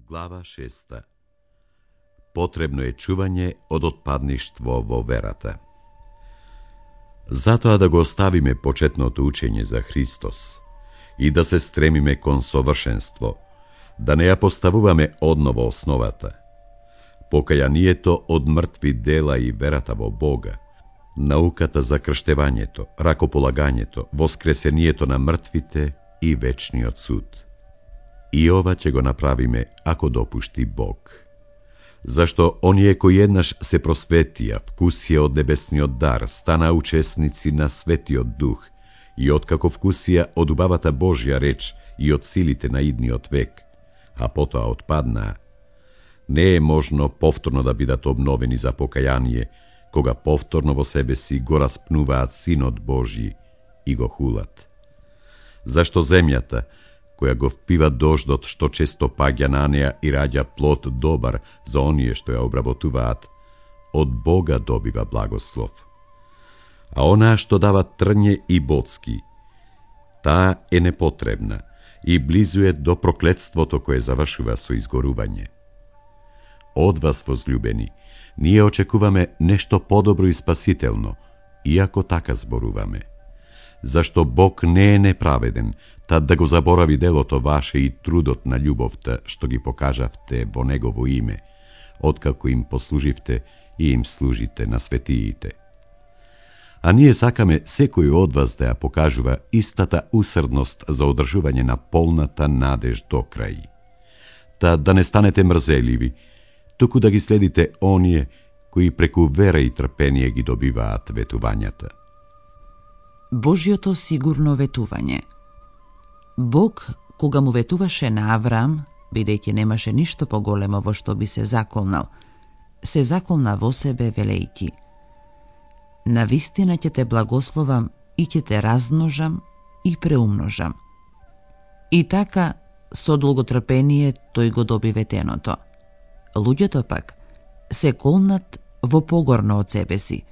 Глава 6. Потребно е чување од отпадништво во верата. Затоа да го оставиме почетното учење за Христос и да се стремиме кон совршенство, да не ја поставуваме одново основата. Покајанието од мртви дела и верата во Бога, науката за крштевањето, ракополагањето, воскресението на мртвите и вечниот суд. И ова ќе го направиме ако допушти Бог. Зашто оние кои еднаш се просветија, вкусија од небесниот дар, стана учесници на Светиот Дух и откако вкусија од убавата Божја реч и од силите на идниот век, а потоа отпаднаа, не е можно повторно да бидат обновени за покаяние, кога повторно во себе си го распнуваат Синот Божји и го хулат. Зашто земјата, која го впива дождот што често паѓа на неа и раѓа плод добар за оние што ја обработуваат, од Бога добива благослов. А онаа што дава трње и боцки, таа е непотребна и близу е до проклетството кое завршува со изгорување. Од вас, возлюбени, ние очекуваме нешто подобро и спасително, иако така зборуваме. Зашто Бог не е неправеден, тад да го заборави делото ваше и трудот на љубовта што ги покажавте во Негово име, откако им послуживте и им служите на светиите. А ние сакаме секој од вас да ја покажува истата усрдност за одржување на полната надеж до крај. Та да не станете мрзеливи, туку да ги следите оние кои преку вера и трпение ги добиваат ветувањата. Божјото сигурно ветување. Бог, кога му ветуваше на Авраам, бидејќи немаше ништо поголемо во што би се заколнал, се заколна во себе велејќи: навистина ќе те благословам и ќе те размножам и преумножам. И така, со долготрпение тој го доби ветеното. Луѓето пак се колнат во погорно од себе си,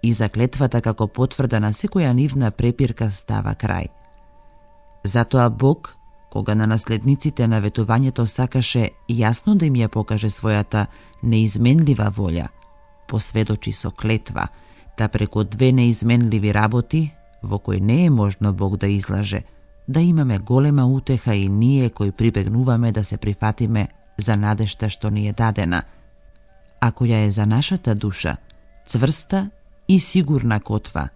и заклетвата како потврда на секоја нивна препирка става крај. Затоа Бог, кога на наследниците на ветувањето сакаше јасно да им ја покаже својата неизменлива волја, посведочи со клетва, да преку две неизменливи работи, во кои не е можно Бог да излаже, да имаме голема утеха и ние кои прибегнуваме да се прифатиме за надежта што ни е дадена, а која е за нашата душа цврста и сигурна котва,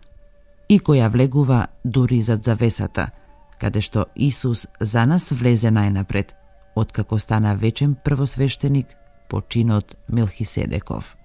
и која влегува дури зад завесата, каде што Исус за нас влезе најнапред, откако стана вечен првосвештеник по чинот Мелхиседеков.